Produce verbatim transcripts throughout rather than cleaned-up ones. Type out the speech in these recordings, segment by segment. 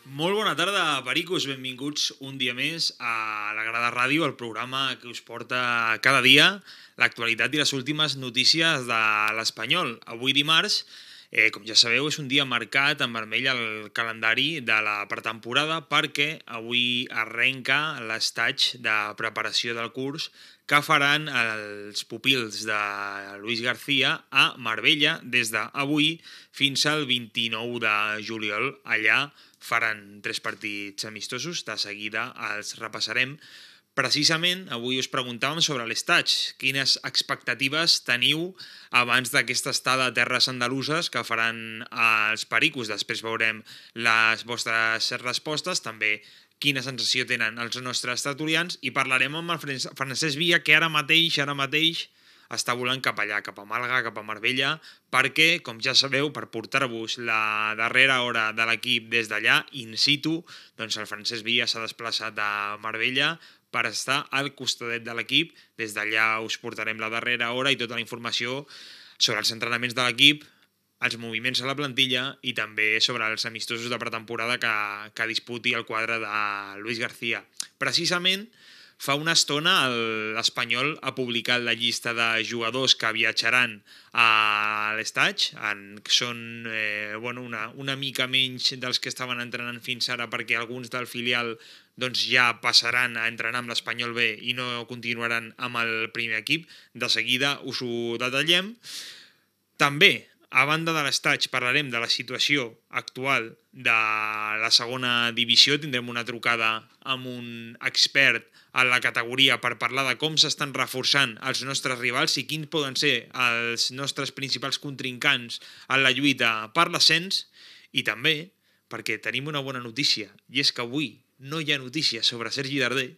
Molt bona tarda, pericos. Benvinguts un dia més a La Grada Ràdio, el programa que us porta cada dia l'actualitat i les últimes notícies de l'Espanyol. Avui dimarts, eh, com ja sabeu, és un dia marcat en vermell al calendari de la pretemporada perquè avui arrenca l'estatge de preparació del curs que faran els pupils de Luis García a Marbella des d'avui fins al vint-i-nou de juliol. Allà faran tres partits amistosos, de seguida els repassarem. Precisament, avui us preguntàvem sobre l'estatge. Quines expectatives teniu abans d'aquesta estada a terres andaluses que faran els pericos? Després veurem les vostres respostes, també quina sensació tenen els nostres tertulians, i parlarem amb el Francesc Villa, que ara mateix, ara mateix està volant cap allà, cap a Màlaga, cap a Marbella, perquè, com ja sabeu, per portar-vos la darrera hora de l'equip des d'allà, in situ, doncs el Francesc Villa s'ha desplaçat a Marbella per estar al costadet de l'equip. Des d'allà us portarem la darrera hora i tota la informació sobre els entrenaments de l'equip, els moviments a la plantilla i també sobre els amistosos de pretemporada que, que disputi el quadre de Luis García. Precisament, fa una estona l'Espanyol ha publicat la llista de jugadors que viatjaran a l'estatge. Són eh, bueno, una, una mica menys dels que estaven entrenant fins ara, perquè alguns del filial doncs, ja passaran a entrenar amb l'Espanyol B i no continuaran amb el primer equip. De seguida us ho detallem. També, a banda de l'estatge, parlarem de la situació actual de la segona divisió. Tindrem una trucada amb un expert a la categoria per parlar de com s'estan reforçant els nostres rivals i quins poden ser els nostres principals contrincants en la lluita per l'ascens. I també perquè tenim una bona notícia, i és que avui no hi ha notícies sobre Sergi Darder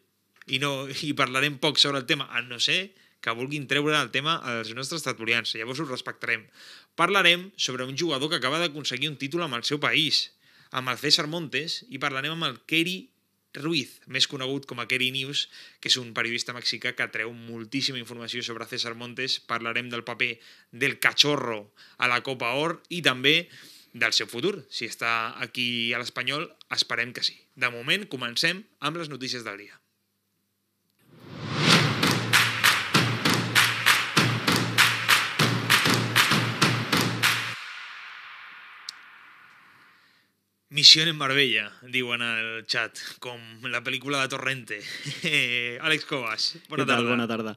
i, no, i parlarem poc sobre el tema, a no ser que vulguin treure el tema als nostres tertulians. Llavors ho respectarem. Parlarem sobre un jugador que acaba d'aconseguir un títol amb el seu país, amb el César Montes, i parlarem amb el Keri Ruiz, més conegut com a Keri News, que és un periodista mexicà que treu moltíssima informació sobre César Montes. Parlarem del paper del cachorro a la Copa Or i també del seu futur. Si està aquí a l'Espanyol, esperem que sí. De moment, comencem amb les notícies del dia. Missió en Marbella, diuen al xat, com la pel·lícula de Torrente. Eh, Àlex Cobas, bona tarda. Bona tarda.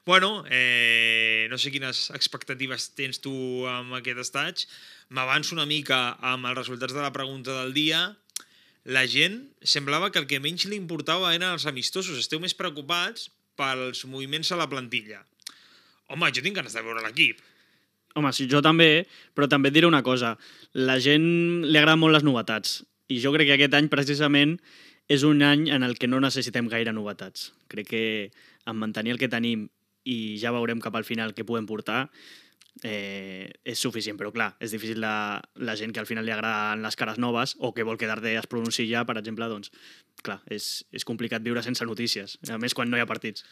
Bueno, eh, no sé quines expectatives tens tu amb aquest estatge. M'avanço una mica amb els resultats de la pregunta del dia. La gent semblava que el que menys li importava eren els amistosos. Esteu més preocupats pels moviments a la plantilla. Home, jo tinc ganes de veure l'equip. Home, sí, jo també, però també et diré una cosa. La gent li agrada molt les novetats, i jo crec que aquest any precisament és un any en el que no necessitem gaire novetats. Crec que en mantenir el que tenim i ja veurem cap al final què podem portar, eh, és suficient. Però clar, és difícil la, la gent que al final li agraden les cares noves o que vol que Darder es pronunciï ja, per exemple, doncs, clar, és, és complicat viure sense notícies, a més quan no hi ha partits.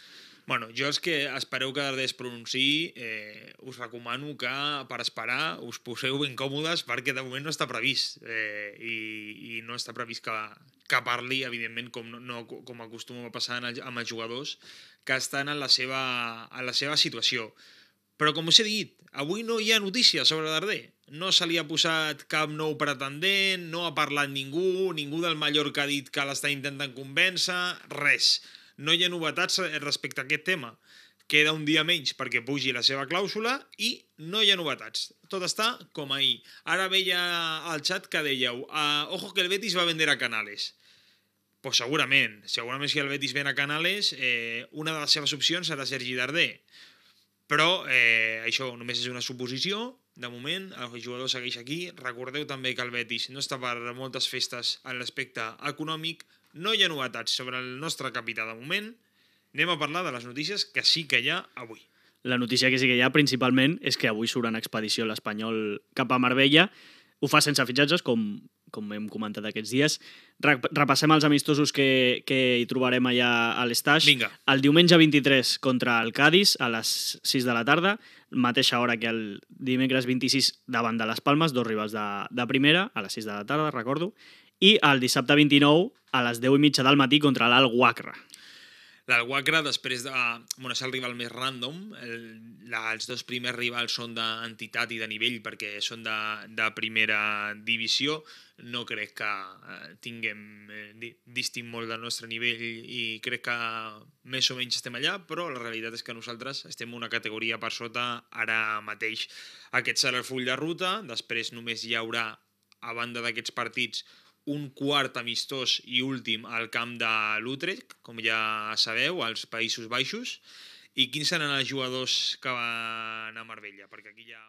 Bueno, jo els que espereu que Darder es pronunciï, eh, us recomano que per esperar us poseu ben còmodes, perquè de moment no està previst, eh, i, i no està previst que, que parli, evidentment, com, no, com acostuma a passar amb els jugadors que estan en la seva, en la seva situació. Però com us he dit, avui no hi ha notícies sobre Darder. No se li ha posat cap nou pretendent, no ha parlat ningú, ningú del Mallorca ha dit que l'està intentant convèncer, res. No hi ha novetats respecte a aquest tema. Queda un dia menys perquè pugi la seva clàusula i no hi ha novetats. Tot està com ahir. Ara veia al xat que dèieu uh, ojo que el Betis va vender a Canales. Pues segurament. Segurament si el Betis ven a Canales, eh, una de les seves opcions serà Sergi Darder. Però eh, això només és una suposició. De moment, el jugador segueix aquí. Recordeu també que el Betis no està per moltes festes en l'aspecte econòmic. No hi ha novetats sobre el nostre capità de moment. Anem a parlar de les notícies que sí que hi ha avui. La notícia que sí que hi ha principalment és que avui surt en expedició l'Espanyol cap a Marbella. Ho fa sense fitxatges, com, com hem comentat aquests dies. Repassem els amistosos que, que hi trobarem allà a l'estatge. Vinga. El diumenge vint-i-tres contra el Cádiz a les sis de la tarda, mateixa hora que el dimecres vint-i-sis davant de les Palmes, dos rivals de, de primera, a les sis de la tarda, recordo. i el dissabte vint-i-nou a les deu i mitja del matí contra l'Al-Waqra. L'Al-Waqra, després de... Bueno, és el rival més random. El, la, els dos primers rivals són d'entitat i de nivell perquè són de, de primera divisió. No crec que eh, tinguem eh, distint molt del nostre nivell i crec que més o menys estem allà, però la realitat és que nosaltres estem una categoria per sota ara mateix. Aquest serà el full de ruta. Després només hi haurà, a banda d'aquests partits, un quart amistós i últim al camp de l'Utrecht, com ja sabeu, als Països Baixos. I quins seran els jugadors que van a Marbella? Perquè aquí hi ha...